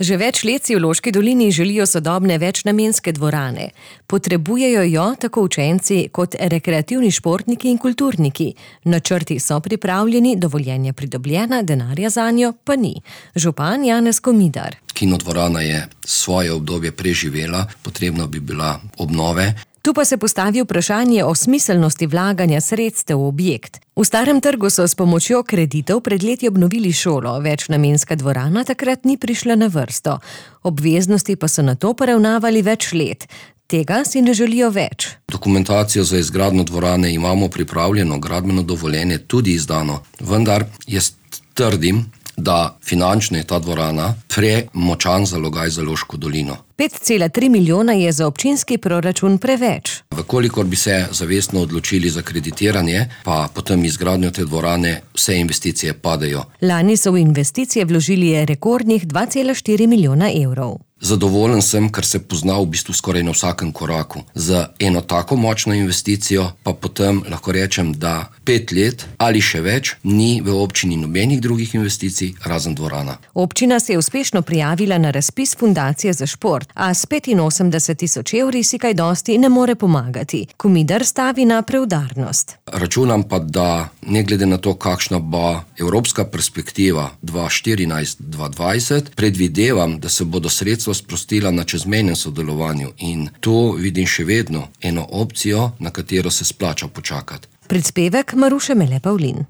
Že več let si v Loški dolini želijo sodobne večnamenske dvorane. Potrebujejo jo tako učenci kot rekreativni športniki in kulturniki. Načrti so pripravljeni, dovoljenja pridobljena, denarja zanjo pa ni. Župan Janez Komidar. Kinodvorana je svoje obdobje preživela, potrebno bi bila obnove. Tu pa se postavi vprašanje o smiselnosti vlaganja sredstev v objekt. V Starem trgu so s pomočjo kreditov pred leti obnovili šolo, večnamenska dvorana takrat ni prišla na vrsto. Obveznosti pa so nato poravnavali več let. Tega si ne želijo več. Dokumentacijo za izgradnjo dvorane imamo pripravljeno, gradbeno dovoljenje tudi izdano, vendar jaz trdim, da finančno je ta dvorana premočan zalogaj za Loško dolino. 5,3 milijona je za občinski proračun preveč. Vkolikor bi se zavestno odločili za kreditiranje, pa potem izgradnjo te dvorane, vse investicije padejo. Lani so v investicije vložili rekordnih 2,4 milijona evrov. Zadovoljen sem, ker se pozna v bistvu skoraj na vsakem koraku. Za eno tako močno investicijo pa potem lahko rečem, da 5 let ali še več ni v občini nobenih drugih investicij, razen dvorana. Občina se je uspešno prijavila na razpis Fundacije za šport, a s 85.000 evri si kaj dosti ne more pomagati. Komidar stavi na preudarnost. Računam pa, da ne glede na to, kakšna bo evropska perspektiva 2014-2020, predvidevam, da se bodo sredstva sprostila na čezmejnem sodelovanju in tu vidim še vedno eno opcijo, na katero se splača počakati. Prispevek Maruše Mele Pavlin.